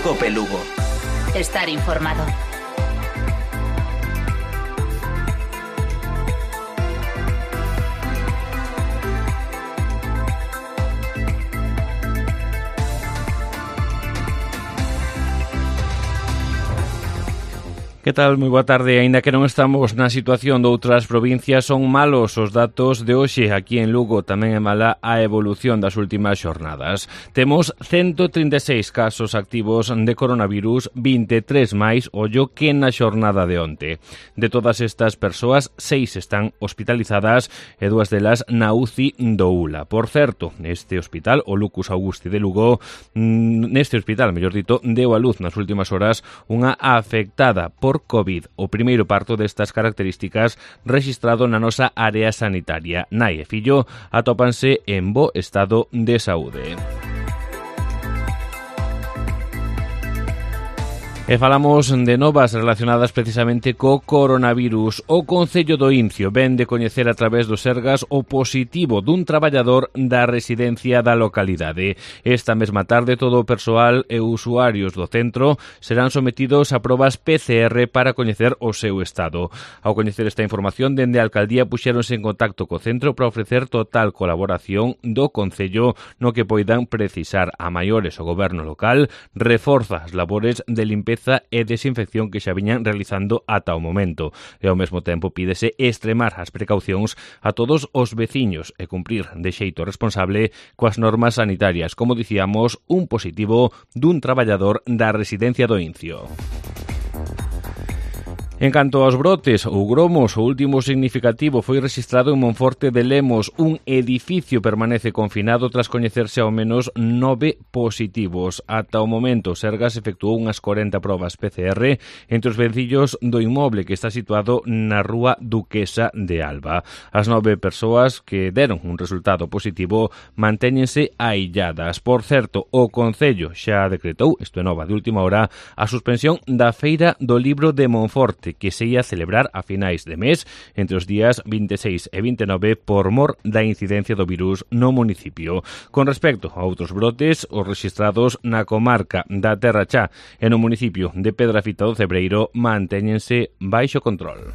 COPE Lugo. Estar informado. Que tal? Moi boa tarde. Aínda que non estamos na situación de outras provincias, son malos os datos de hoxe aquí en Lugo. Tamén é mala a evolución das últimas xornadas. Temos 136 casos activos de coronavirus, 23 máis, ollo, que na xornada de onte. De todas estas persoas, 6 están hospitalizadas e 2 delas na UCI do ULA. Por certo, este hospital, o Lucus Augusti de Lugo, neste hospital, mellor dito, deu a luz nas últimas horas unha afectada por COVID, o primeiro parto destas características rexistrado na nosa área sanitaria. Nai e fillo atópanse en bo estado de saúde. E falamos de novas relacionadas precisamente co coronavirus. O Concello do Incio ven de coñecer a través do Sergas o positivo dun traballador da residencia da localidade. Esta mesma tarde todo o persoal e usuarios do centro serán sometidos a probas PCR para coñecer o seu estado. Ao coñecer esta información, dende a alcaldía puxéronse en contacto co centro para ofrecer total colaboración do Concello no que poidan precisar. A maiores, o goberno local reforza as labores de limpeza e desinfección que xa viñan realizando ata o momento. E ao mesmo tempo pídese extremar as precaucións a todos os veciños e cumprir de xeito responsable coas normas sanitarias. Como dicíamos, un positivo dun traballador da residencia do Incio. En canto aos brotes ou gromos, o último significativo foi rexistrado en Monforte de Lemos. Un edificio permanece confinado tras coñecerse ao menos 9 positivos. Ata o momento, Sergas efectuou unhas 40 probas PCR entre os vencillos do inmoble que está situado na rúa Duquesa de Alba. As 9 persoas que deron un resultado positivo mantéñense ailladas. Por certo, o Concello xa decretou, isto é nova de última hora, a suspensión da Feira do Libro de Monforte, que se ia celebrar a finais de mes entre os días 26 e 29 por mor da incidencia do virus no municipio. Con respecto a outros brotes, os rexistrados na comarca da Terra Chá e no municipio de Pedrafita do Cebreiro mantéñense baixo control.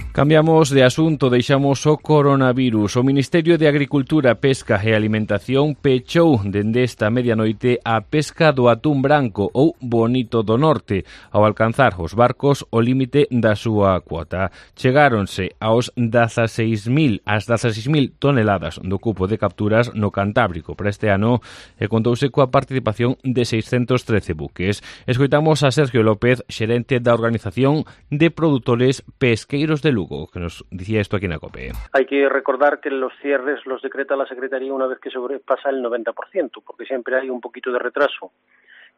Cambiamos de asunto, deixamos o coronavirus. O Ministerio de Agricultura, Pesca e Alimentación pechou dende esta medianoite a pesca do atún branco ou bonito do norte, ao alcanzar os barcos o límite da súa cuota. Chegáronse aos 16.000 toneladas do cupo de capturas no Cantábrico para este ano e contouse coa participación de 613 buques. Escoitamos a Sergio López, xerente da Organización de Produtores Pesqueiros de Lugo, que nos decía esto aquí en la COPE. Hay que recordar que los cierres los decreta la Secretaría una vez que sobrepasa el 90%, porque siempre hay un poquito de retraso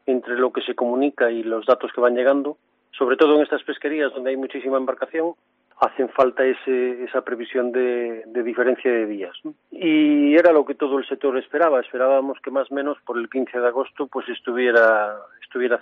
entre lo que se comunica y los datos que van llegando, sobre todo en estas pesquerías donde hay muchísima embarcación. Hacen falta esa previsión de diferencia de días, ¿no? Y era lo que todo el sector esperaba. Esperábamos que más o menos por el 15 de agosto pues estuviera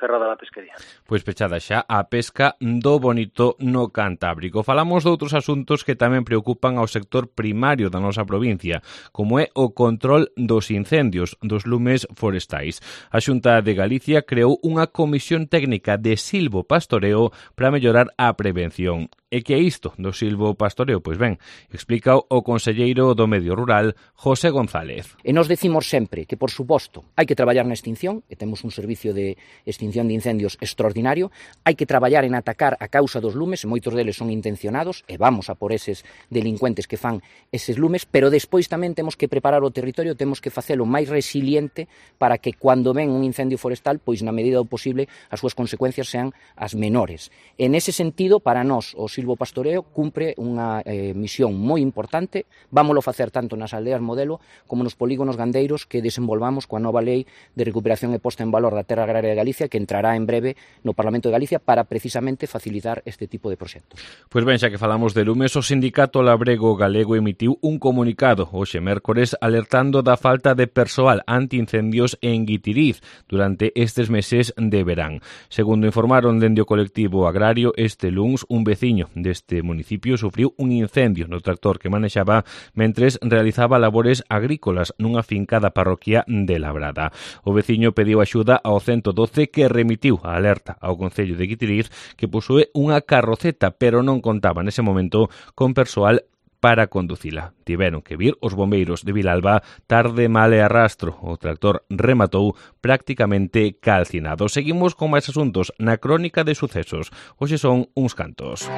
cerrada la pesquería. Pois pechada xa a pesca do bonito no Cantábrico. Falamos de outros asuntos que tamén preocupan ao sector primario da nosa provincia, como é o control dos incendios, dos lumes forestais. A Xunta de Galicia creou unha comisión técnica de silvopastoreo para mellorar a prevención. E que é isto do silvopastoreo? Pois ben, explica o conselleiro do Medio Rural, José González. E nos decimos sempre que, por suposto, hai que traballar na extinción, e temos un servicio de extinción de incendios extraordinario, hai que traballar en atacar a causa dos lumes, e moitos deles son intencionados, e vamos a por eses delincuentes que fan eses lumes, pero despois tamén temos que preparar o territorio, temos que facelo máis resiliente para que cando ven un incendio forestal, pois na medida do posible as súas consecuencias sean as menores. En ese sentido, para nós, o silvopastoreo cumpre unha misión moi importante. Vámolo facer tanto nas aldeas modelo como nos polígonos gandeiros que desenvolvamos coa nova lei de recuperación e posta en valor da terra agraria de Galicia, que entrará en breve no Parlamento de Galicia para precisamente facilitar este tipo de proxectos. Pois ben, xa que falamos de lumes, o Sindicato Labrego Galego emitiu un comunicado hoxe mércores alertando da falta de persoal antiincendios en Guitiriz durante estes meses de verán. Segundo informaron dende o colectivo agrario, este luns un veciño deste municipio sufriu un incendio no tractor que manexaba mentres realizaba realizaba labores agrícolas nunha finca da parroquia de Labrada. O veciño pediu axuda ao 112 que remitiu a alerta ao Concello de Guitiriz, que posúe unha carroceta, pero non contaba nese momento con persoal para conducila. Tiveron que vir os bombeiros de Vilalba tarde, mal e arrastro. O tractor rematou prácticamente calcinado. Seguimos con máis asuntos na crónica de sucesos. Hoxe son uns cantos.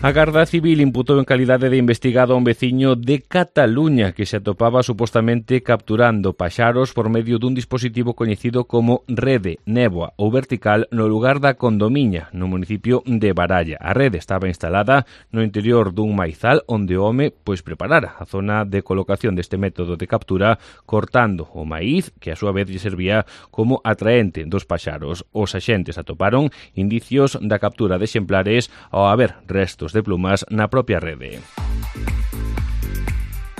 A Garda Civil imputou en calidade de investigado a un veciño de Cataluña que se atopaba supostamente capturando paxaros por medio dun dispositivo coñecido como rede néboa ou vertical no lugar da Condomiña, no municipio de Baralla. A rede estaba instalada no interior dun maizal onde o home preparara a zona de colocación deste método de captura cortando o maíz que a súa vez lle servía como atraente dos paxaros. Os axentes atoparon indicios da captura de exemplares ao haber restos de plumas na propia rede.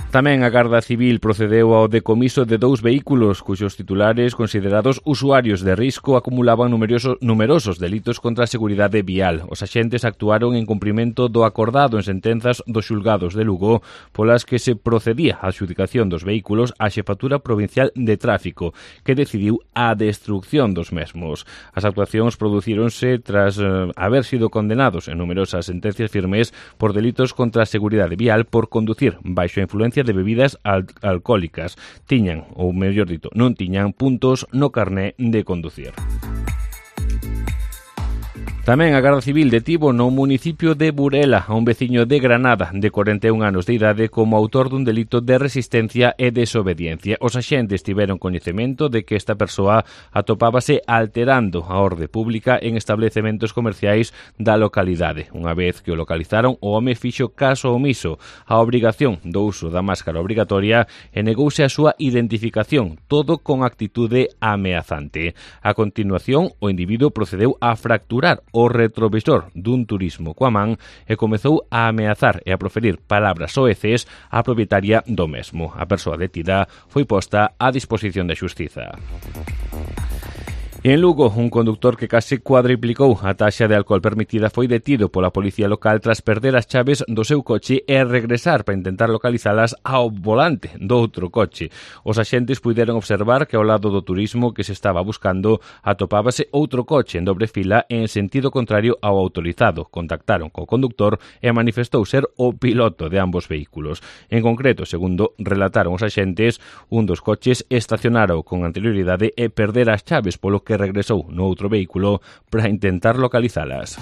Tamén a Garda Civil procedeu ao decomiso de 2 vehículos cuxos titulares, considerados usuarios de risco, acumulaban numerosos delitos contra a seguridade vial. Os axentes actuaron en cumprimento do acordado en sentenzas dos xulgados de Lugo, polas que se procedía á adxudicación dos vehículos á Xefatura Provincial de Tráfico, que decidiu a destrucción dos mesmos. As actuacións producíronse tras haber sido condenados en numerosas sentencias firmes por delitos contra a seguridade vial por conducir baixo a influencia de bebidas alcohólicas. Tiñan, ou mellor dito, non tiñan puntos no carné de conducir. Tamén a Garda Civil detivo no municipio de Burela a un veciño de Granada de 41 anos de idade como autor dun delito de resistencia e desobediencia. Os axentes tiveron coñecemento de que esta persoa atopábase alterando a orde pública en establecementos comerciais da localidade. Unha vez que o localizaron, o home fixo caso omiso á obrigación do uso da máscara obrigatoria e negouse a súa identificación, todo con actitude ameazante. A continuación, o individuo procedeu a fracturar o retrovisor dun turismo coa man e comezou a ameazar e a proferir palabras soeces á propietaria do mesmo. A persoa detida foi posta á disposición da xustiza. E en Lugo, un conductor que case cuadriplicou a taxa de alcohol permitida foi detido pola policía local tras perder as chaves do seu coche e regresar para intentar localizalas ao volante do outro coche. Os axentes puideron observar que ao lado do turismo que se estaba buscando atopábase outro coche en dobre fila en sentido contrario ao autorizado. Contactaron co conductor e manifestou ser o piloto de ambos vehículos. En concreto, segundo relataron os axentes, un dos coches estacionara con anterioridade e perdera as chaves, polo que regresou no outro vehículo para intentar localizalas.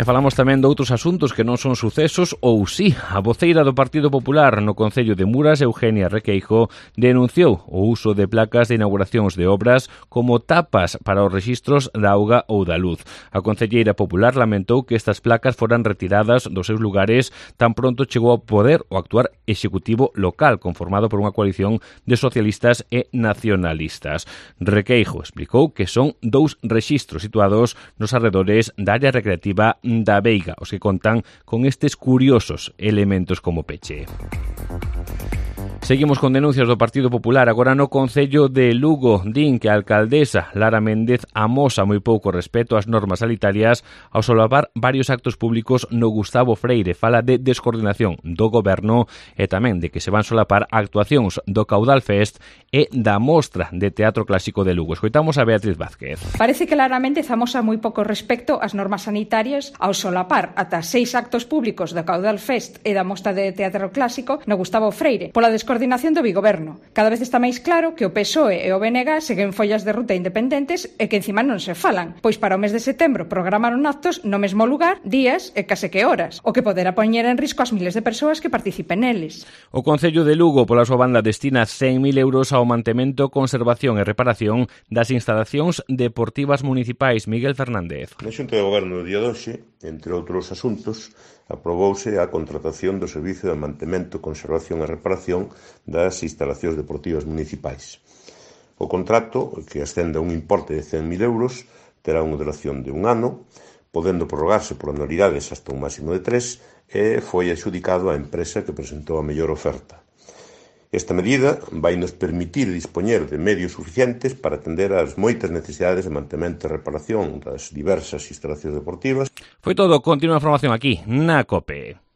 E falamos tamén de outros asuntos que non son sucesos ou sí. A voceira do Partido Popular no Concello de Muras, Eugenia Requeijo, denunciou o uso de placas de inauguracións de obras como tapas para os rexistros da auga ou da luz. A concelleira popular lamentou que estas placas foran retiradas dos seus lugares tan pronto chegou ao poder o actuar executivo local conformado por unha coalición de socialistas e nacionalistas. Requeijo explicou que son 2 rexistros situados nos arredores da área recreativa da Veiga, os que contan con estes curiosos elementos como peche. Seguimos con denuncias do Partido Popular agora no Concello de Lugo. Din que a alcaldesa Lara Méndez amosa moi pouco respeto ás normas sanitarias ao solapar varios actos públicos no Gustavo Freire. Fala de descoordinación do goberno e tamén de que se van solapar actuacións do Caudal Fest e da Mostra de Teatro Clásico de Lugo. Escoitamos a Beatriz Vázquez. Parece que Lara Méndez amosa moi pouco respecto ás normas sanitarias ao solapar ata 6 actos públicos do Caudal Fest e da Mostra de Teatro Clásico no Gustavo Freire pola descoordinación do bigoberno. Cada vez está máis claro que o PSOE e o BNG seguen follas de ruta independentes e que encima non se falan, pois para o mes de setembro programaron actos no mesmo lugar, días e case que horas, o que poderá poñer en risco as miles de persoas que participen neles. O Concello de Lugo, pola súa banda, destina 100.000 euros ao mantemento, conservación e reparación das instalacións deportivas municipais. Miguel Fernández. Na Xunta de Goberno do día de hoxe, entre outros asuntos, aprobouse a contratación do Servicio de Mantemento, Conservación e Reparación das instalacións deportivas municipais. O contrato, que ascende a un importe de 100.000 euros, terá unha duración de 1 ano, podendo prorrogarse por anualidades hasta un máximo de 3, e foi adxudicado á empresa que presentou a mellor oferta. Esta medida vai nos permitir dispoñer de medios suficientes para atender ás moitas necesidades de mantemento e reparación das diversas instalacións deportivas. Foi todo, continua a información aquí, na COPE.